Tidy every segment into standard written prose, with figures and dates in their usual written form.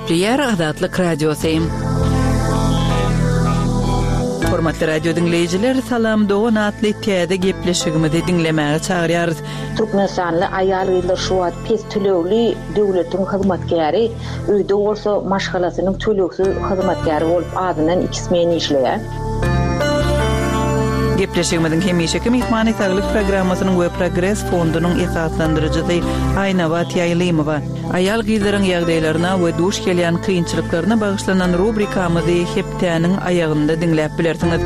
Gepleýär Azatlyk Radiosy. Hormatly radio diňleýjiler, Salam dogan atly täze gepleşigimizi diňlemäge çagyrýarys. Türkmenistanly aýal-gyzlar şu wagt pes tölegli döwletiň hyzmatkäri, öýde bolsa maşgalasynyň tölegsiz hyzmatkäri bolup azyndan iki smen işleýär. Gepleşigimiziň hemişeki myhmany Saglyk programmasynyň we Progres fondunyň esaslandyryjysy Aýnabat Ýaýlymowa. Aýal-gyzlaryň ýagdaýlaryna we duş gelýän kynçylyklaryna bagyşlanan rubrikamyzy hepdäniň aýagynda diňläp bilersiňiz.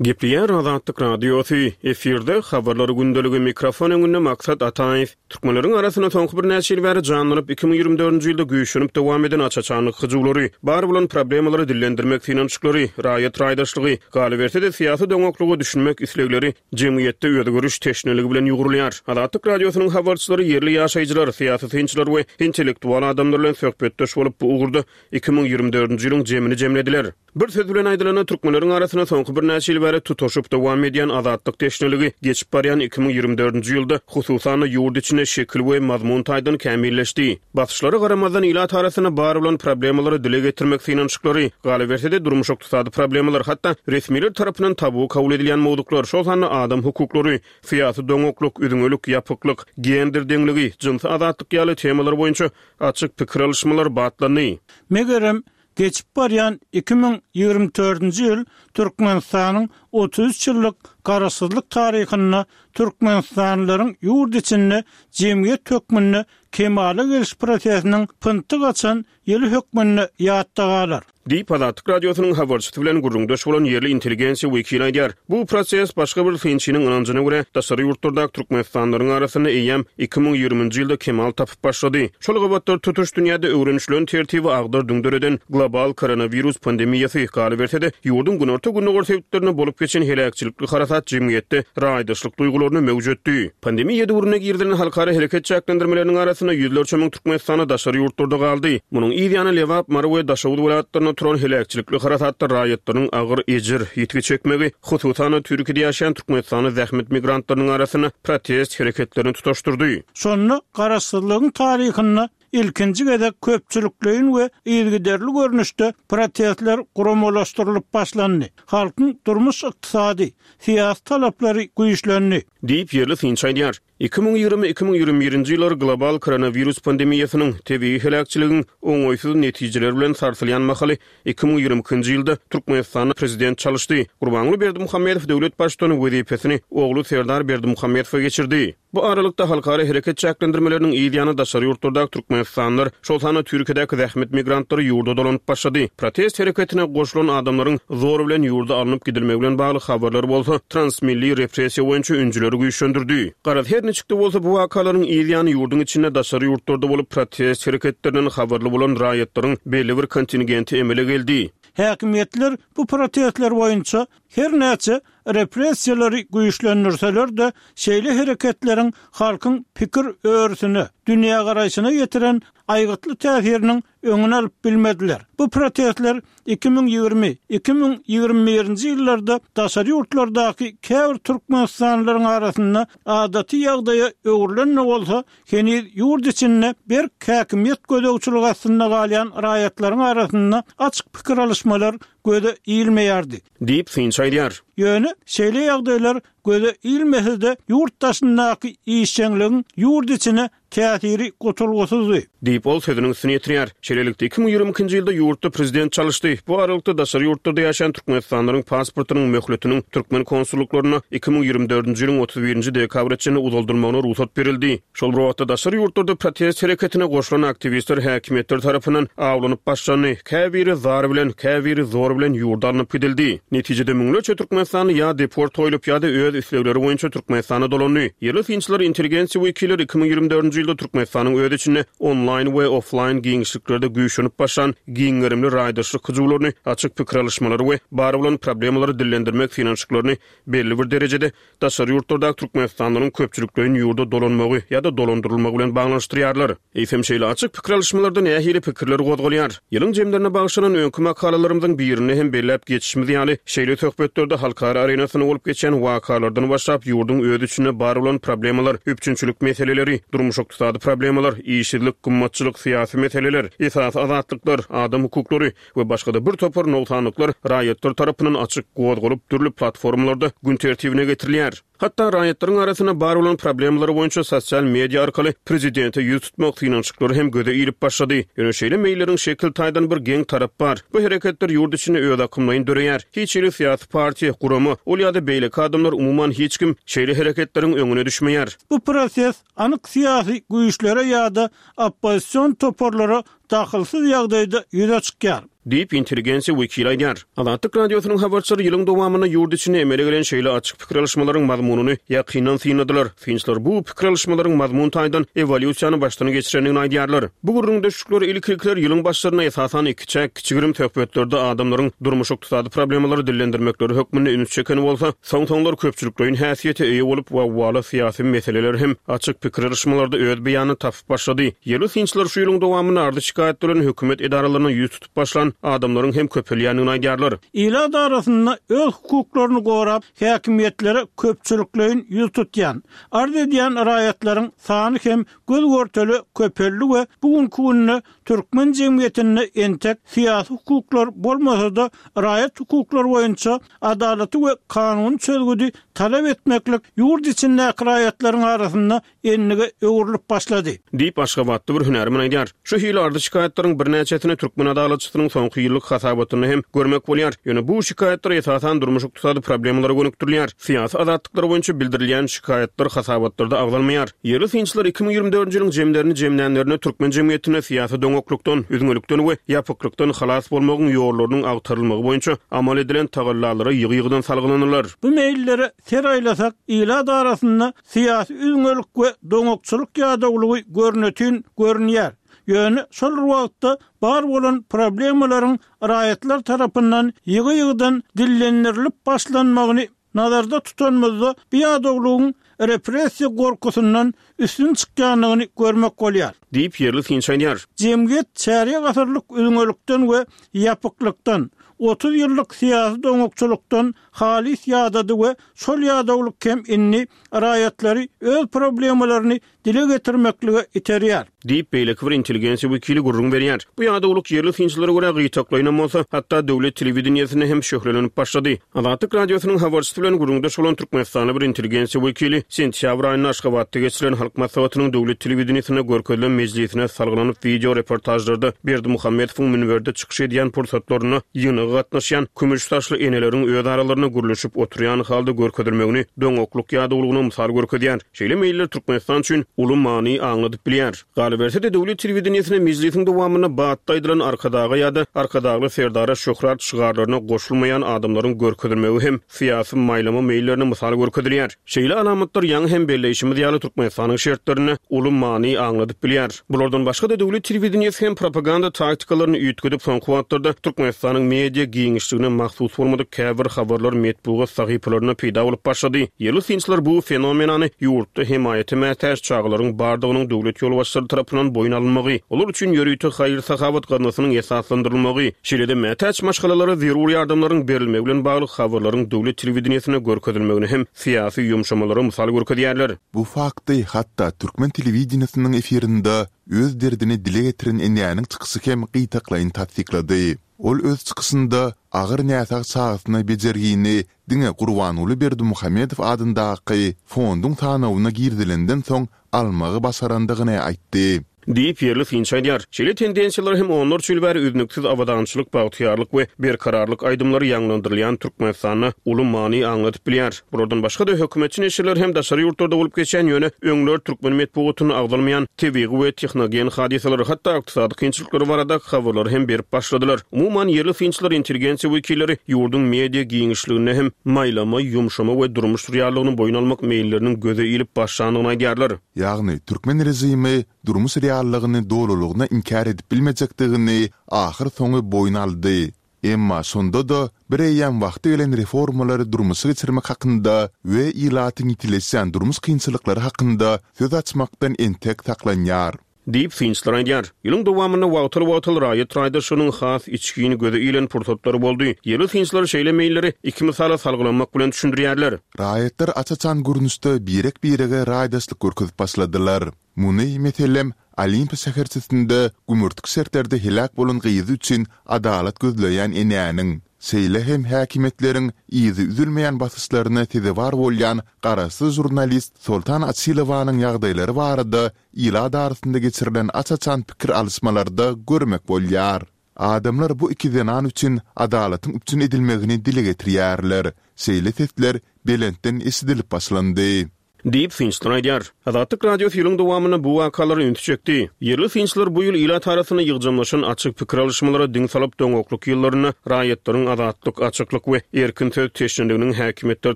Gepleýär Azatlyk Radiosy, efirde Habarlar gündeligi, mikrofon öňünde Maksat Ataýew. Türkmenleriň arasynda soňky birnäçe ýyl bäri janlanyp, 2024-nji ýylda güýçlenip dowam eden aç-açanlyk hyjuwlary, bar bolan problemalary dillendirmek synanyşyklary, raýat raýdaşlygy, galyberse-de syýasy doňaklyga düşünmek islegleri jemgyýetde özgeriş teşneligi bilen ýugrulýar. Azatlyk Radiosynyň habarçylary ýerli ýaşaýjylar, syýasy synçylar we intellektual adamlar bilen söhbetdeş bolup, bu ugurda 2024-nji ýylyň jemini jemlediler. Bir söz bilen aýdylanda, türkmenleriň arasynda soňky birnäçe ýyl bäri tutaşyp dowam edýän azatlyk teşneligi geçip barýan 2024-nji ýylda, hususan-da, ýurt içinde şekil we mazmun taýdan kämilleşdi. Basyşlara garamazdan, ilat arasynda bar bolan problemalary dile getirmek synanyşyklary, galyberse-de, durmuş-ykdysady problemalar, hatda resmiler tarapyndan tabu kabul edilýän mowzuklar, şol sanda adam hukuklary, syýasy doňaklyk, üzňelik, ýapyklyk, gender deňligi, jynsy azatlyk ýaly temalar boýunça açyk pikir alyşmalar batlandy. Megerem, Geçip barýan 2024-nji ýyl Türkmenistanyň 33 ýyllyk Garaşsyzlyk taryhynda türkmenistanlylaryň ýurt içinde jemgyýet hökmünde kemala geliş prosesiniň pyntyk açan ýyly hökmünde ýatda galar. Diýip, Azatlyk Radiosynyň habarçysy bilen gürrüňdeş bolan ýerli intelligensiýa wekili aýdýar. Bu proses, başga bir synçynyň ynanjyna görä, daşary ýurtlardaky türkmenistanlylaryň arasynda eýýäm 2020-nji ýylda kemal tapyp başlady. Şol gabatlar tutuş dünýäde öwrenişilen tertibi agdar-düňder eden global koronawirus pandemiýasy, galyberse-de, ýurduň günorta-gündogar sebitlerinde bolup geçen heläkçilikli harasat jemgyýetde raýdaşlyk duýgularyny möwjetdi. Pandemiýa döwründe girizilen halkara hereket çäklendirmeleriniň arasynda ýüzlerçe müň türkmenistanly daşary ýurtlarda galdy. Munuň yz ýany Lebap, Mary we Daşoguz welaýatlarynda turan heläkçilikli harasatda raýatlaryň agyr ejir, ýitgi çekmegi, hususan-da, Türkiýede ýaşaýan türkmenistanly zähmet migrantlarynyň arasynda protest hereketlerini tutaşdyrdy. Şonda Garaşsyzlygyň taryhynda ilkinji gezek köpçülikleýin we yzygiderli görnüşde protestler guramalaşdyrylyp başlandy. Halkyň durmuş-ykdysady, syýasy talaplary güýçlendi. Diýip, ýerli synçy aýdýar. 2020, 2021-nji ýyllar global koronawirus pandemiýasynyň, tebigy heläkçiligiň oňaýsyz netijeleri bilen sarsylýan mahaly, 2022-nji ýylda Türkmenistanda prezident çalyşdy. Gurbanguly Berdimuhamedow döwlet baştutany wezipesini ogly Serdar Berdimuhamedowa geçirdi. Bu aralykda, halkara hereket çäklendirmeleriniň yz ýany daşary ýurtlardaky türkmenistanlylar, şol sanda Türkiýedäki zähmet migrantlary ýurda dolanyp başlady. Protest hereketine goşulan adamlaryň zor bilen ýurda alnyp gidilmegi bilen bagly habarlar bolsa transmilli repressiýa boýunça ünjüleri güýçlendirdi. Garaz, her niçik-de bolsa, bu wakalaryň yz ýany ýurduň içinde daşary ýurtlarda bolup protest hereketlerinden habarly bolan raýatlaryň belli bir kontingenti emele geldi. Häkimiýetler bu protestler boýunça her näçe repressiýalary güýçlendirseler-de, şeýle hereketleriň halkyň pikir örüsine, dünýägaraýşyna ýetiren aýgytly täsiriniň öňüni alyp bilmediler. Bu protestler 2020, 2021-nji ýyllarda daşary ýurtlardaky käbir türkmenistanlylaryň arasynda adaty ýagdaýa öwrülen-de bolsa, heniz ýurt içinde berk häkimiýet gözegçiligi astynda galýan raýatlaryň arasynda açyk pikir alyşmalar göze ilmeýärdi. Diýip, synçy aýdýar. Ýöne şeýle ýagdaýlar göze ilmese-de, ýurt daşyndaky işjeňligiň ýurt içine täsiri gutulgysyzdy. Diýip, ol sözüniň üstüni ýetirýär. Şeýlelikde, 2022-nji ýylda ýurtda prezident çalyşdy. Bu aralykda, daşary ýurtlarda ýaşaýan türkmenistanlylaryň pasportynyň möhletiniň türkmen konsullyklarynda 2024-nji ýylyň 31-nji dekabra çenli uzaldylmagyna rugsat berildi. Şol bir wagtda, daşary ýurtlarda protest hereketine goşulan aktiwistler häkimiýetler tarapyndan awlanyp başlandy, käbiri zar bilen, käbiri zor bilen ýurda alnyp gidildi. Netijede, müňlerçe türkmenistanly ýa deport goýlup, ýa-da öz islegleri boýunça Türkmenistana dolandy. Ýerli synçylar, intelligensiýa wekilleri 2024-nji. dördünji ýylda Türkmenistanyň öz içinde onlaýn we oflaýn giňişliklerde güýçlenip başlan giň gerimli raýdaşlyk hyjuwlaryny, açyk pikir alyşmalary we bar bolan problemalary dillendirmek synanyşyklaryny belli bir derejede daşary ýurtlardaky türkmenistanlylaryň köpçülikleýin ýurda dolanmagy ýa-da dolandyrylmagy bilen baglanyşdyrýarlar. Eýsem, şeýle açyk pikir alyşmalarda nähili pikirler gozgalýar? Ýylyň jemlerine bagyşlanan öňki makalalarymyzyň birinde hem belläp geçişimiz ýaly, şeýle söhbetlerde halkara arenasynda bolup geçýän wakalardan başlap, ýurduň öz içinde bar bolan problemalar, üpjünçilik meseleleri, durmuş-ykdysady problemalar, işsizlik, gymmatçylyk, syýasy meseleler, esasy azatlyklar, adam hukuklary we başga-da bir topar nogsanlyklar raýatlar tarapyndan açyk gozgalyp, dürli platformalarda gün tertibine getirilýär. Hatda raýatlaryň arasynda bar bolan problemalar boýunça sosial media arkaly prezidente ýüz tutmak synanyşyklary hem göze ilip başlady. Ýöne şeýle meýilleriň şekil taýdan bir geň tarapy bar. Bu hereketler ýurt içinde özakymlaýyn döreýär. Hiç hili syýasy partiýa, gurama, ol ýa-da beýleki adamlar umuman hiç kim şeýle hereketleriň öňüne düşmeýär. Bu proses anyk syýasy güýçlere ýa-da oppozision toparlara dahylsyz ýagdaýda ýüze çykýar. Diýip, intelligensiýa wekili aýdýar. Azatlyk Radiosynyň habarçylary ýylyň dowamynda ýurt içinde emele gelen şeýle açyk pikir alyşmalaryň mazmunyny ýakyndan synladylar. Synçylar bu pikir alyşmalaryň mazmun taýdan ewolýusiýany başdan geçirendigini aýdýarlar. Bu gürrüňdeşlikler ilki-ilkiler ýylyň başlarynda esasan ikiçäk, kiçi-girim söhbetlerde adamlaryň durmuş-ykdysady problemalary dillendirmekleri hökmünde üns çeken bolsa, soň-soňlar köpçülikleýin häsiýete eýe bolup, wawwaly syýasy meseleler hem açyk pikir alyşmalarda öz beýanyny tapyp başlady. Ýerli synçylar şu ýylyň dowamynda arzy-şikaýat bilen hökümet edaralaryna ýüz tutup başlan adamlaryň hem köpelýändigini aýdýarlar. Ilat arasynda öz hukuklaryny gorap, häkimiýetlere köpçülikleýin ýüz tutýan, arz edýän raýatlaryň sany hem göz-görtele köpeldi we bu günki günde türkmen jemgyýetinde entek syýasy hukuklar bolmasa-da, raýat hukuklary boýunça adalaty we kanuny çözgüdi talap etmeklik ýurt içindäki raýatlaryň arasynda endige öwrülip başlady. Diýip, aşgabatly bir hünärmen aýdýar. Şu hili arzy-şikaýatlaryň birnäçesini türkmen adalatçysynyň soňky ýyllyk hasabatynda hem görmek bolýar. Ýöne bu şikaýatlar esasan durmuş-ykdysady problemalara gönükdirilýär. Syýasy azatlyklar boýunça bildirilýän şikaýatlar hasabatlarda agzalmaýar. Ýerli synçylar 2024-nji ýylyň jemlerini jemlänlerinde türkmen jemgyýetinde syýasy doňaklykdan, üzňelikden we ýapyklykdan halas bolmagyň ýollarynyň agtarylmagy boýunça amal edilen tagallalara ýygy-ýygydan salgylanyrlar. Bu meýillere ser aýlasak, ilat arasynda Syýasy üzňelik we doňakçylyk ýadawlygy görnetin görünýär. Ýöne şol bir wagtda bar bolan problemalaryň raýatlar tarapyndan ýygy-ýygydan dillendirilip başlanmagyny nazarda tutanymyzda bu ýadawlygyň repressiýa gorkusyndan üstün çykýandygyny görmek bolýar. Diýip, ýerli synçy aýdýar. Jemgyýet çärýek asyrlyk üzňelikden we ýapyklykdan, 30 ýyllyk syýasy doňakçylykdan halys ýadady we şol ýadawlyk hem indi raýatlary öz problemalaryny dile getirmeklige iterýär. Diýip, beýleki bir intelligensiýa wekili gürrüň berýär. Bu ýadawlyk ýerli synçylara görä gytaklaýynam bolsa, hatda döwlet telewideniýesinde hem şöhlelenip başlady. Azatlyk Radiosynyň habarçysy bilen gürrüňdeş bolan türkmenistanly bir intelligensiýa wekili sentýabr aýynda Aşgabatda geçirilen Halk Maslahatynyň döwlet telewideniýesinde görkezilen mejlisine salgylanyp wideo reportažlarda Berdimuhamedowyň münberde çykyş edýän pursatlarynda ýygnaga gatnaşýan kümüş saçly eneleriň öz aralarynda gürleşip oturýan halda görkezilmegini doňaklyk ýadawlygyna mysal görkezýär. Şeýle meýiller Türkmenistan üçin uly many aňladyp bilýär. Galyberse-de, döwlet telewideniýesinde mejlisiň dowamynda batly aýdylan Arkadaga ýa-da Arkadagly Serdara şöhrat şygarlaryna goşulmaýan adamlaryň görkezilmegi hem syýasy maýlama meýillerine mysal görkezilýär. Şeýle alamatlar ýaňy hem belleýşimiz ýaly Türkmenistanyň şertlerinde uly many aňladyp bilýär. Bulardan başga-da döwlet telewideniýesi hem propaganda taktikalaryny üýtgedip soňky wagtlarda Türkmenistanyň media giňişligine mahsus bolmadyk käbir habarlar metbugat sahypalarynda peýda bolup başlady. Ýerli synçylar bu fenomenany ýurtda hemaýata mätäç çagalaryň bardygynyň döwlet ýolbaşçylary tarapyndan boýun alynmagy, olar üçin ýörite haýyr-sahawat gaznasynyň esaslandyrylmagy, şeýle-de mätäç maşgalalara zerur ýardamlaryň berilmegi bilen bagly habarlaryň döwlet telewideniýesinde görkezilmegini hem syýasy ýumşamalara mysal görkezýärler. Bu fakty hatda türkmen telewideniýesiniň efirinde öz derdini dile getiren enäniň çykyşy hem gytaklaýyn tassyklady. Ol öz çykyşynda agyr näsag çagasyna bejergini diňe Gurbanguly Berdimuhamedow adyndaky fonduň sanawyna girizilenden soň almagy başarandygyny aýtdy. Diýip, ýerli synçy aýdýar. Şeýle tendensiýalar hem onlarça ýyl bäri üznüksiz abadançylyk, bagtyýarlyk we berkararlyk aýdymlary ýaňlandyrylýan Türkmenistanda uly many aňladyp bilýär. Bulardan başga-da, hökümetçi neşirler hem daşary ýurtlarda bolup geçýän, ýöne öňler türkmen metbugatynda agzalmaýan tebigy we tehnogen hadysalary, hatda ykdysady kynçylyklary baradaky habarlary hem berip başladylar. Umuman, ýerli synçylar, intelligensiýa wekilleri ýurduň media giňişliginde hem maýlama, ýumşama we durmuş reallygyny boýun almak meýilleriniň göze ilip başlandygyny aýdýarlar. Ýagny, türkmen režimi durmuş reallygyny dolulygyna inkär edip bilmejekdigini ahyrsoňy boýun aldy. Emma şonda-da bireýýäm wagty gelen reformalary durmuşa geçirmek hakynda we ilatyň ýitileşýän durmuş kynçylyklary hakynda söz açmakdan entek saklanýar. Diýip, synçylar aýdýar. Ýylyň dowamynda wagtal-wagtal raýat raýdaşlygynyň has içgin göze ilen pursatlary boldy. Ýerli synçylar şeýle meýilleri iki mysala salgylanmak bilen düşündirýärler. Raýatlar aç-açan görnüşde birek-birege raýdaşlyk görkezip başladylar. Muny, meselem, Olimpiýa şäherçesinde gümürtik şertlerde heläk bolan gyzy üçin adalat gözleýän enäniň, şeýle hem häkimiýetleriň yzy üzülmeýän basyşlaryna sezewar bolýan garaşsyz žurnalist Soltan Açylowanyň ýagdaýlary barada ilat arasynda geçirilen aç-açan pikir alyşmalarda görmek bolýar. Adamlar bu iki zenan üçin adalatyň üpjün edilmegini dile getirýärler. Şeýle sesler belentden eşidilip başlandy. Diýip, synçylar aýdýar. Azatlyk Radiosy ýylyň dowamynda bu wakalara ünsi çekdi. Ýerli synçylar bu ýyl ilat arasynda ýygjamlaşan açyk pikir alyşmalara diň salyp, doňaklyk ýyllarynda raýatlaryň azatlyk, açyklyk we erkin söz teşneliginiň häkimiýetler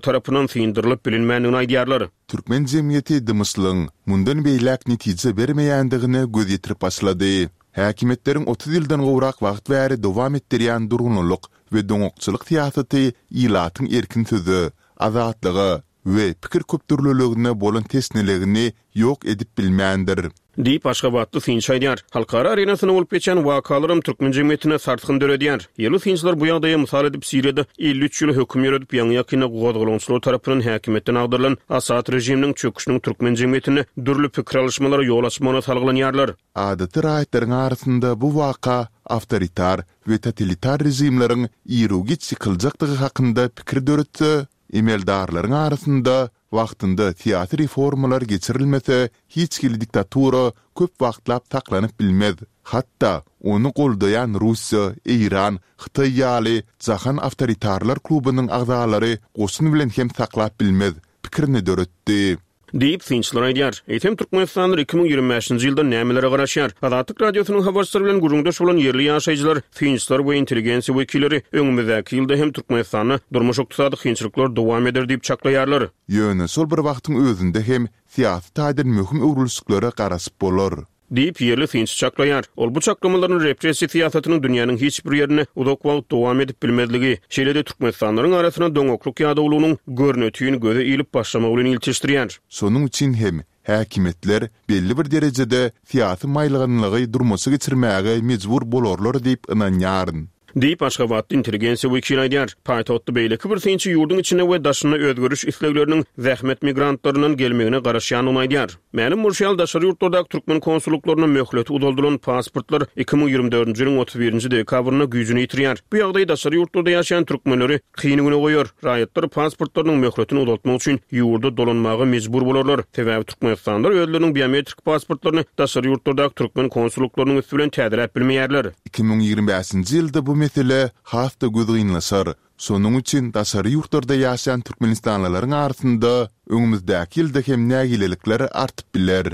tarapyndan syndyrylyp bilinmändigini aýdýarlar. Türkmen jemgyýeti dymyşlygyň mundan beýläk netije bermeýändigine göz ýetirip başlady. Häkimiýetleriň 30 ýyldan gowrak wagt bäri dowam etdirýän durgunlylyk we doňakçylyk syýasaty ilatyň erkin söze, azatlyga we pikir köpdürlüligine bolan teşneligini ýok edip bilmändir. Diýip, aşgabatly synçy aýdýar. Halkara arenasynda bolup geçýän wakalaram türkmen jemgyýetinde sarsgyn döredýär. Ýerli synçylar bu ýagdaýa mysal edip Siriýada 53 ýyl höküm ýöredip, ýaňy-ýakynda gozgalaňçylar tarapyndan häkimiýetden agdarylan Asad režiminiň çöküşiniň türkmen jemgyýetinde dürli pikir alyşmalara ýol açmagyna salgylanýarlar. Adaty raýatlaryň arasynda bu waka awtoritar we totalitar režimleriň iru-giç ýykyljakdygy hakynda pikir döretse, emeldarlaryň arasynda Wagtynda syýasy reformalar geçirilmese, hiç hili diktatura köp wagtlap saklanyp bilmez. Hatda ony goldaýan Russiýa, Eýran, Hytaý ýaly jahan awtoritarlar klubunyň agzalary goşun bilen hem saklap bilmez pikirini döretdi. Diýip, synçylar aýdýar. Eýsem, türkmenistanlylar 2025-nji ýyldan nämelere garaşýar? Azatlyk Radiosynyň habarçylary bilen gürrüňdeş bolan ýerli ýaşaýjylar, synçylar we intelligensiýa wekilleri öňümizdäki ýylda hem Türkmenistanda durmuş-ykdysady kynçylyklar dowam eder diýip çaklaýarlar. Ýöne şol bir wagtyň özünde hem syýasy taýdan möhüm öwrülişiklere garaşyp bolar. Diýip, ýerli synçy çaklaýar. Ol bu çaklamalaryny repressiýa syýasatynyň dünýäniň hiç bir ýerinde uzak wagt dowam edip bilmezligi, şeýle-de türkmenistanlylaryň arasynda doňaklyk ýadawlygynyň görnetin göze ilip başlamagy bilen ilteşdirýär. Şonuň üçin hem häkimiýetler belli bir derejede syýasy maýylganlygy durmuşa geçirmäge mejbur bolarlar diýip ynanýaryn. Diýip, aşgabatly intelligensiýa wekili aýdýar. Paýtagtda beýleki bir synçy ýurduň içinde we daşynda özgeriş islegleriniň zähmet migrantlaryndan gelmegine garaşýandygyny aýdýar. Mälim bolşy ýaly, daşary ýurtlardaky türkmen konsullyklarynda möhleti uzaldylan pasportlar 2024-nji ýylyň 31-nji dekabrynda güýjüni ýitirýär. Bu ýagdaý daşary ýurtlarda ýaşaýan türkmenleri kyn güne goýar. Raýatlar pasportlarynyň möhletini uzaltmak üçin ýurda dolanmaga mejbur bolarlar. Sebäbi türkmenistanlylar özleriniň biometrik pasportlaryny daşary ýurtlardaky türkmen konsullyklarynyň üsti bilen täzeläp bilmeýärler. 2025-nji ýylda bu mesele has-da gözgynlaşar. Şonuň üçin daşary ýurtlarda ýaşaýan türkmenistanlylaryň arasynda öňümizdäki ýylda hem nägilelikler artyp biler.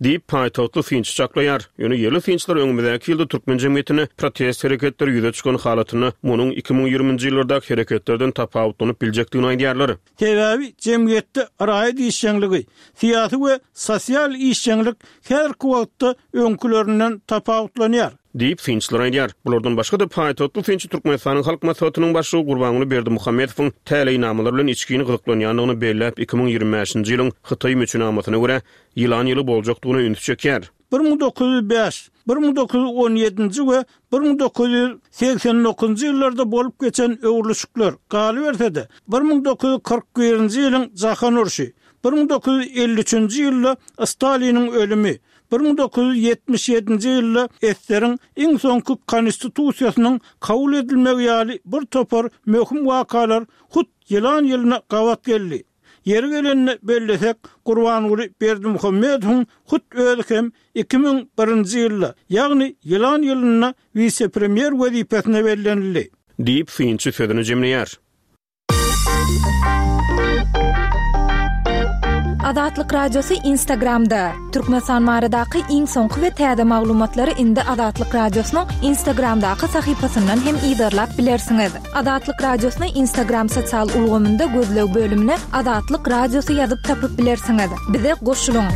Diýip, paýtagtly synçy çaklaýar. Ýöne ýerli synçylar öňümizdäki ýylda türkmen jemgyýetinde protest hereketleri ýüze çykan halatynda munuň 2020-nji ýyllardaky hereketlerden tapawutlanyp biljekdigini aýdýarlar. Sebäbi jemgyýetde raýat işjeňligi, syýasy we sosial işjeňlik häzirki wagtda öňkülerinden tapawutlanýar. Diýip, synçylar aýdýar. Bulardan başga-da, paýtagtly synçy Türkmenistanyň Halk Maslahatynyň Başlygy Gurbanguly Berdimuhamedowyň täleýnamalar bilen içgin gyzyklanýandygyny belläp, 2025-nji ýylyň Hytaý müçenamasyna görä, ýylan ýyly boljakdygyna ünsi çekýär. 1905, 1917-nji we 1989-njy ýyllarda bolup geçen öwrülişikler, galyberse-de, 1941-nji ýylyň Jahan urşy, 1953-nji ýylda Staliniň ölümi, 1977-nji ýylda ssr-iň iň soňky Konstitusiýasynyň kabul edilmegi ýaly bir topar möhüm wakalar hut ýylan ýylyna gabat geldi. Ýeri gelende bellesek, Gurbanguly Berdimuhamedowyň hut özi hem 2001-nji ýylda, ýagny ýylan ýylynda wise-premýer wezipesine bellenildi. Diýip, synçy sözüni jemleýär. Azatlyk Radiosy Instagramda, Türkmenistan baradaky iň soňky we täze maglumatlary indi Azatlyk Radiosynyň Instagramdaky sahypasyndan hem yzarlap bilersiňiz. Azatlyk Radiosyny Instagram sosial ulgamynda gözleg bölümine Azatlyk Radiosy ýazyp tapyp bilersiňiz. Bize goşulyň!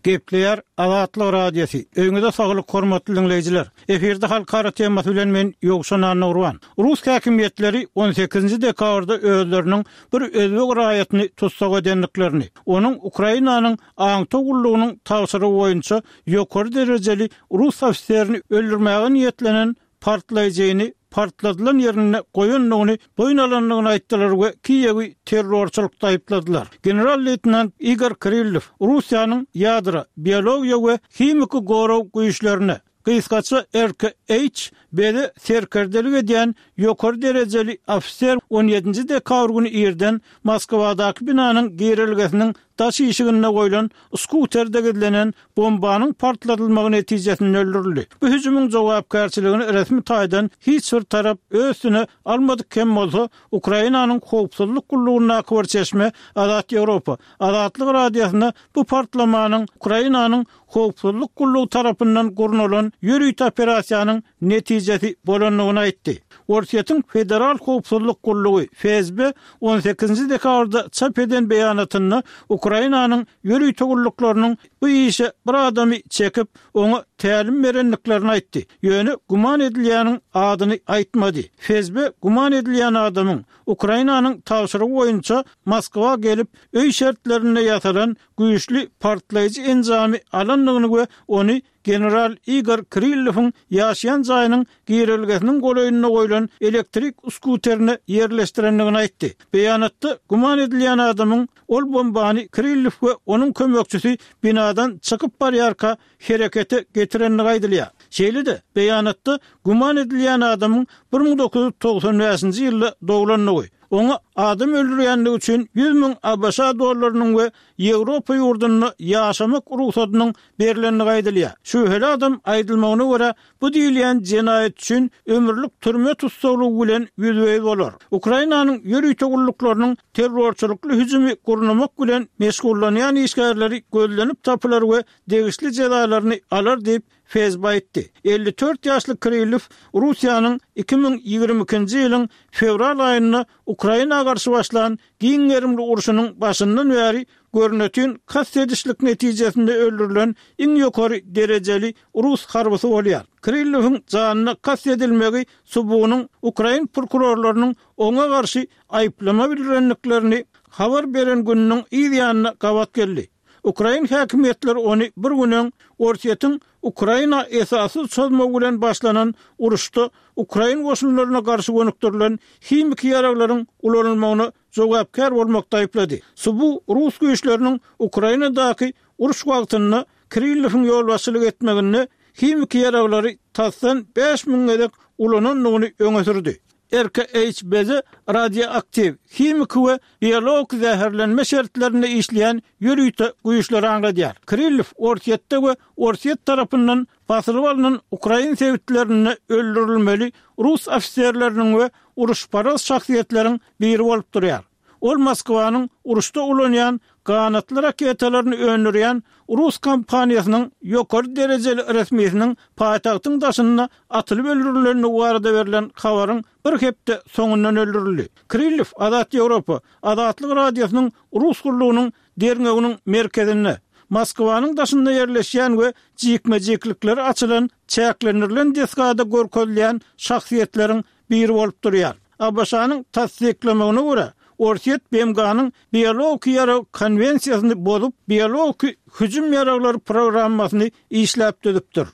Gepleýär Azatlyk Radiosy. Öýüňize saglyk hormatly diňleýjiler. Efirde halkara temasy bilen men Ýowşan Annagurban. Rus häkimiýetleri on sekizinji dekabrda özleriniň bir özbek raýatyny tussag edendiklerini, onuň Ukrainanyň aňtaw gullugynyň tabşyrygy boýunça ýokary derejeli rus ofiserini öldürmäge niýetlenen partlaýjyny partladylan ýerinde goýandygyny boýun alandygyny aýtdylar we Kiýewi terrorçylykda aýypladylar. General-leýtenant Igor Kirillow Russiýanyň ýadro, biologiýa we himiki gorag güýçlerine, gysgaça RKH, bede serkerdelik edýän ýokary derejeli ofiser on ýedinji dekabr güni irden Moskwadaky binanyň girelgesiniň daş işiginde goýlan skuterde gizlenen bombanyň partladylmagy netijesinde öldürildi. Bu hüjümiň jogapkärçiligini resmi taýdan hiç bir tarap öz üstüne almadyk hem bolsa, Ukrainanyň howpsuzlyk gullugyndaky bir çeşme Azat Ýewropa Azatlyk Radiosyna bu partlamanyň Ukrainanyň howpsuzlyk gullugy tarapyndan gurnalan ýörite operasiýanyň netijesi bolandygyny aýtdy. Orsýetiň Federal howpsuzlyk gullugy, FSB, on sekizinji dekabrda çap eden beýanatynda Ukrainanyň ýörite gulluklarynyň bu işe bir adamy çekip, oňa tälim berendiklerini aýtdy. Ýöne güman edilýäniň adyny aýtmady. FSB güman edilýän adamyň Ukrainanyň tabşyrygy boýunça Moskwa gelip, öý şertlerinde ýasalan güýçli partlaýjy enjamy alandygyny we ony General Igor Kirillowyň ýaşaýan jaýynyň girelgesiniň golaýynda goýlan elektrik skuterine ýerleşdirendigini aýtdy. Beýanatda güman edilýän adamyň ol bombany Kirillow we onuň kömekçisi binadan çykyp barýarka herekete getirendigi aýdylýar. Şeýle-de, beýanatda güman edilýän adamyň 1995-nji ýylda doglandygy, oňa adam öldürýändigi üçin 100 müň ABŞ dollarynyň we Ýewropa ýurdunda ýaşamak rugsadynyň berlendigi aýdylýar. Şübheli adam aýdylmagyna görä, bu diýilýän jenaýat üçin ömürlik türme tussaglygy bilen ýüzbe-ýüz bolar. Ukrainanyň ýörite gulluklarynyň terrorçylykly hüjümi gurnamak bilen meşgullanýan işgärleri gözlenip tapylar we degişli jezalaryny alar diýip, FSB aýtdy. 54 ýaşly Kirillow Russiýanyň 2022-nji ýylyň fewral aýynda Ukraina garşy başlan giň gerimli urşunyň başyndan bäri görnetin kast edişlik netijesinde öldürilen iň ýokary derejeli rus harbysy bolýar. Kirillowyň janyna kast edilmegi SBU-nyň ukrain prokurorlarynyň oňa garşy aýyplama bildirendiklerini habar beren gününiň yz ýanyna gabat geldi. Ukrain häkimiýetleri ony bir gün öň Orsýetiň Ukraina esassyz çozmagy bilen başlanan uruşda ukrain goşunlaryna garşy gönükdirilen himiki ýaraglaryň ulanylmagyna jogapkär bolmakda aýyplady. SBU rus güýçleriniň Ukrainadaky uruş wagtynda Kirillowyň ýolbaşçylyk etmeginde himiki ýaraglary tasdan 5000 gezek ulanandygyny öňe sürdi. RKHBZ radioaktiw, himiki we biologik zäherlenme şertlerinde işleýän ýörite güýçleri aňladýar. Kirillow Orsýetde we Orsýet tarapyndan basylyp alnan ukrain sebitlerinde öldürilmeli rus ofiserleriniň we uruşparaz şahsyýetleriň biri bolup durýar. Ol Moskwanyň uruşda ulanýan ganatly raketalaryny öndürýän rus kompaniýasynyň ýokary derejeli resmisiniň paýtagtyň daşynda atylyp öldürilendigi barada berlen habaryň bir hepde soňundan öldürildi. Kirillow Azat Ýewropa, Azatlyk Radiosynyň rus gullugynyň derňewiniň merkezinde, Moskwanyň daşynda ýerleşýän we jikme-jiklikleri açylan çäklendirilen desgada görkezilýän şahsyýetleriň biri bolup durýar. ABŞ-nyň tassyklamagyna görä, Orsýet BMG-niň Biologiki ýarag konwensiýasyny bozup, biologiki hüjüm ýaraglary programmasyny işläp düzüpdir.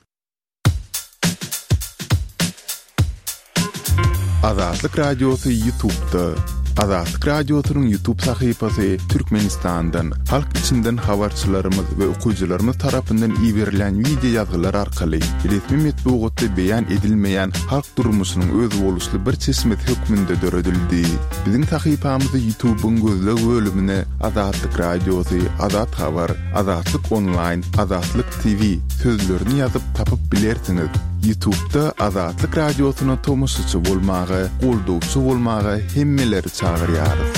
Azatlyk Radiosy Ýutubda. Azatlyk Radiosynyň YouTube sahypasy Türkmenistandan, halk içinden habarçylarymyz we okyjylarymyz tarapyndan iberilýän wideo ýazgylar arkaly resmi metbugatda beýan edilmeýän halk durmuşynyň özboluşly bir çeşmesi hökmünde döredildi. Biziň sahypamyzy YouTube-yň gözleg bölümine Azatlyk Radiosy, Azat Habar, Azatlyk Onlaýn, Azatlyk TV sözlerini ýazyp tapyp bilersiňiz. Ýutubda Azatlyk Radiosyna tomaşaçy bolmaga, goldawçy bolmaga hemmeleri çagyrýarys.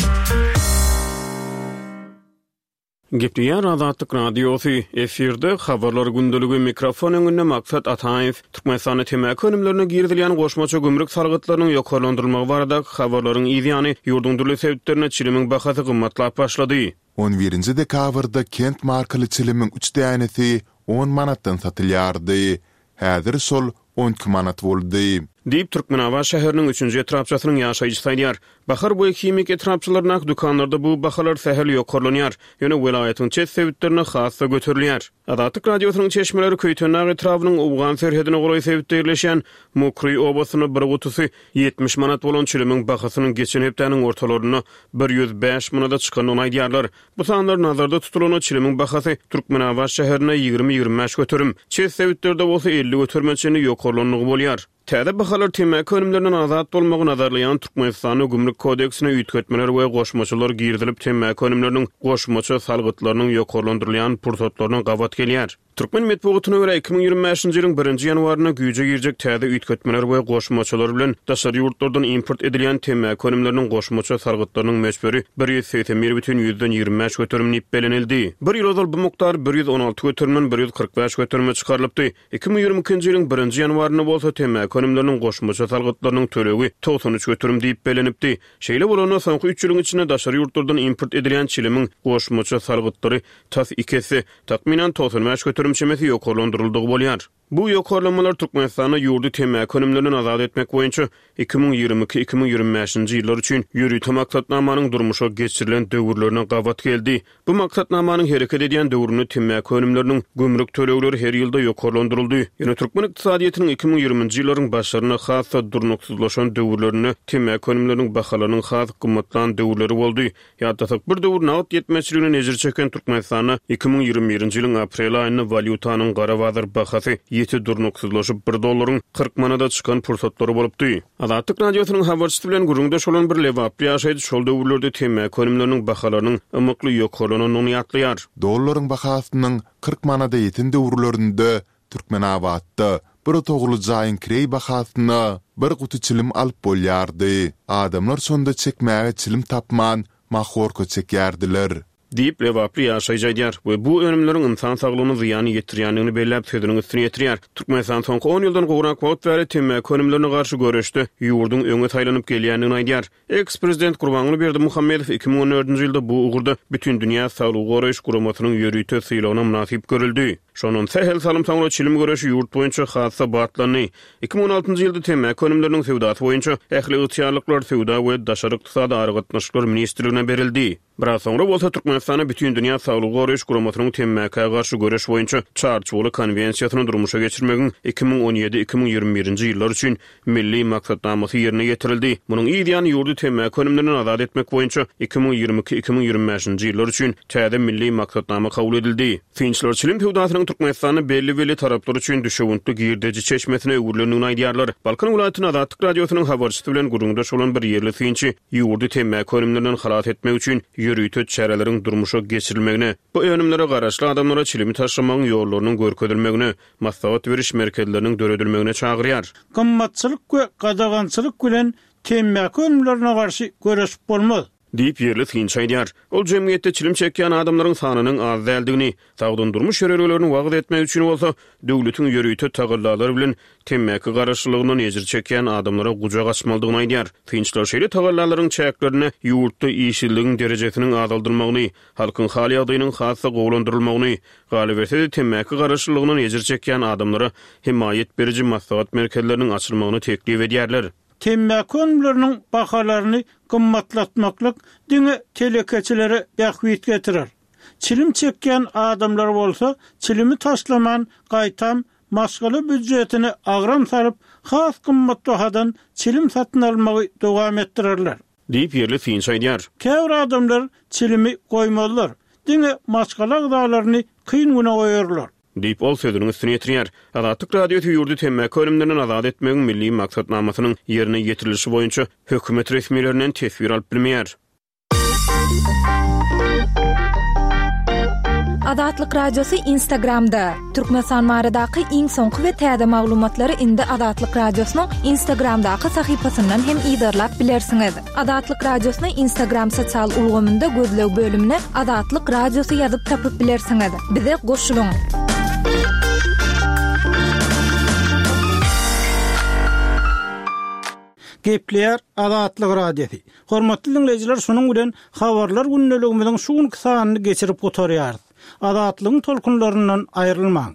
Gepleýär Azatlyk Radiosy, efirde Habarlar gündeligi, mikrofon öňünde Maksat Ataýew. Türkmenistanda temmäki önümlerine girizilýän goşmaça gümrük salgytlarynyň ýokarlandyrylmagy baradaky habarlaryň yz ýany, ýurduň dürli sebitlerinde çilimiň bahasy gymmatlap başlady. On birinji dekabrda Kent markaly çilimiň üç dänesi on manatdan satylýardy. Häzir şol 12 manat boldy. Diýip, Türkmenabat şäheriniň üçünji etrapçasynyň ýaşaýjysy aýdýar. Bahar we Himik etrapçalaryndaky dükanlarda bu bahalar sähel ýokarlanýar, ýöne welaýatyň çet sebitlerinde has-da göterilýär. Azatlyk Radiosynyň çeşmeleri Köýtendag etrabynyň owgan serhedine golaý sebitde ýerleşýän Mukry obasynda bir gutusy 70 manat bolan çilimiň bahasynyň geçen hepdäniň ortalarynda 105 manada çykandygyny aýdýarlar. Bu sanlar nazarda tutulanda çilimiň bahasy Türkmenabat şäherinde 20-25 göterim, çet sebitlerde bolsa 50 göterime çenli ýokarlandygy bolýar. Täze bahalar temmäki önümlerinden azat bolmagy nazarlaýan Türkmenistanda Gümrük kodeksine üýtgetmeler we goşmaçalar girizilip temmäki önümleriniň goşmaça salgytlarynyň ýokarlandyrylýan pursatlaryna gabat gelýär. Türkmen metbugatyna görä, 2025-nji ýylyň birinji ýanwarynda güýje girjek täze üýtgetmeler we goşmaçalar bilen daşary ýurtlardan import edilýän temmäki önümleriniň goşmaça salgytlarynyň möçberi 181 bütin ýüzden 25 göterim diýip bellenildi. Bir ýyl ozal bu mukdar 116 göterimden 145 göterime çykarylypdy. 2022-nji ýylyň birinji ýanwarynda bolsa temmäki önümleriniň goşmaça salgytlarynyň tölegi 93 göterim diýip bellenipdi. Şeýle bolanda, soňky üç ýylyň içinde daşary ýurtlardan import edilýän çilimiň goşmaça salgytlary tas iki esse, takmynan 95 göterim çemesi ýokarlandyryldygy bolýar. Bu ýokarlanmalar Türkmenistanda ýurdy temmäki önümlerinden azat etmek boýunça 2022, 2025-nji ýyllar üçin ýörite maksatnamanyň durmuşa geçirilen döwürlerine gabat geldi. Bu maksatnamanyň hereket edýän döwründe temmäki önümleriniň gümrük tölegleri her ýylda ýokarlandyryldy. Ýöne türkmen ykdysadyýetiniň 2020-nji ýyllaryň başlarynda has-da durnuksyzlaşan döwürlerinde temmäki önümleriniň bahalarynyň has gymmatlan döwürleri boldy. Ýatlasak, bir döwür nagt ýetmezçiliginden ejir çeken Türkmenistanda 2021-nji ýylyň aprel aýynda walýutanyň gara bazar bahasy ýiti durnuksyzlaşyp, bir dollaryň 40 manada çykan pursatlary bolupdy. Azatlyk Radiosynyň habarçysy bilen gürrüňdeş bolan bir lebaply ýaşaýjy şol döwürlerde temmäki önümleriniň bahalarynyň ymykly ýokarlanandygyny ýatlaýar. Dollaryň bahasynyň 40 manada ýeten döwürlerinde Türkmenabatda bir otagly jaýyň kireý bahasyna bir guty çilim alyp bolýardy. Adamlar şonda çekmäge çilim tapman, mahorka çekýärdiler. Diýip, lebaply ýaşaýjy aýdýar we bu önümleriň ynsan saglygyna zyýan ýetirýändigini belläp, sözüniň üstüni ýetirýär. Türkmenistan soňky on ýyldan gowrak wagt bäri temmäki önümlerine garşy göreşde ýurduň öňe saýlanyp gelýändigini aýdýar. Eks-prezident Gurbanguly Berdimuhamedow 2014-nji ýylda bu ugurda Bütindünýä Saglygy Goraýyş Guramasynyň ýörite sylagyna mynasyp görüldi. Şondan sähel salym soňra çilim göreşi ýurt boýunça has-da batlandy. 2016-njy ýylda temmäki önümleriniň söwdasy boýunça ähli ygtyýarlyklar Söwda we daşary ykdysady aragatnaşyklar ministrligine berildi. Biraz soňra bolsa Türkmenistanda Bütindünýä Saglygy Goraýyş Guramasynyň temmäkä garşy göreş boýunça Çarçuwaly Konwensiýasyny durmuşa geçirmegiň 2017, 2021-nji ýyllar üçin Milli maksatnamasy ýerine ýetirildi. Munuň yz ýany ýurdy temmäki önümlerinden azat etmek boýunça 2022, 2025-nji ýyllar üçin täze Milli maksatnama kabul edildi. Synçylar çilim söwdasynyň Türkmenistanda belli-belli taraplar üçin düşewüntli girdeji çeşmesine öwrülendigini aýdýarlar. Balkan welaýatynda Azatlyk Radiosynyň habarçysy bilen gürrüňdeş bolan bir ýerli synçy ýurdy temmäki önümlerinden halas etmek üçin ýörite çäreleriň durmuşa geçirilmegine, bu önümlere garaşly adamlara çilimi taşlamagyň ýollarynyň görkezilmegine, maslahat beriş merkezleriniň döredilmegine çagyrýar. Gymmatçylyk we gadagançylyk bilen temmäki önümlerine garşy göreşip bolmaz. Diýip, ýerli synçy aýdýar. Ol jemgyýetde çilim çekýän adamlaryň sanynyň az däldigini, sagdyn durmuş ýörelgelerini wagyz etmek üçin bolsa, döwletiň ýörite tagallalary bilen temmäki garaşlylygyndan ejir çekýän adamlara gujak açmalydygyny aýdýar. Synçylar şeýle tagallalaryň çäklerinde ýurtda işsizligiň derejesiniň azaldylmagyny, halkyň hal-ýagdaýynyň has-da gowulandyrylmagyny, galyberse-de temmäki garaşlylygyndan ejir çekýän adamlara hemaýat beriji maslahat merkezleriniň açylmagyny teklip edýärler. Temmäki önümleriniň bahalaryny gymmatlatmaklyk diňe telekeçilere bähbit getirer. Çilim çekýän adamlar bolsa çilimi taşlaman, gaýtam maşgala býudjetine agram salyp, has gymmat bahadan çilim satyn almagy dowam etdirerler. Diýip, ýerli synçy aýdýar. Käbir adamlar çilimi goýmazlar, diňe maşgala agzalaryny kyn güne goýarlar. Diýip, ol sözüniň üstüni ýetirýär. Azatlyk Radiosy ýurdy temmäki önümlerinden azat etmegiň milli maksatnamasynyň ýerine ýetirilişi boýunça hökümet resmilerinden teswir alyp bilmeýär. Azatlyk Radiosy Instagramda, Türkmenistan baradaky iň soňky we täze maglumatlary indi Azatlyk Radiosynyň Instagramdaky sahypasyndan hem yzarlap bilersiňiz. Azatlyk Radiosyny Instagram sosial ulgamynda gözleg bölümine Azatlyk Radiosy ýazyp tapyp bilersiňiz. Bize goşulyň! Gepleýär Azatlyk Radiosy. Hormatly diňleýjiler şunuň bilen Habarlar gündeligimiziň şu günki sanyny geçirip gutarýarys. Azatlygyň tolkunlaryndan aýrylmaň!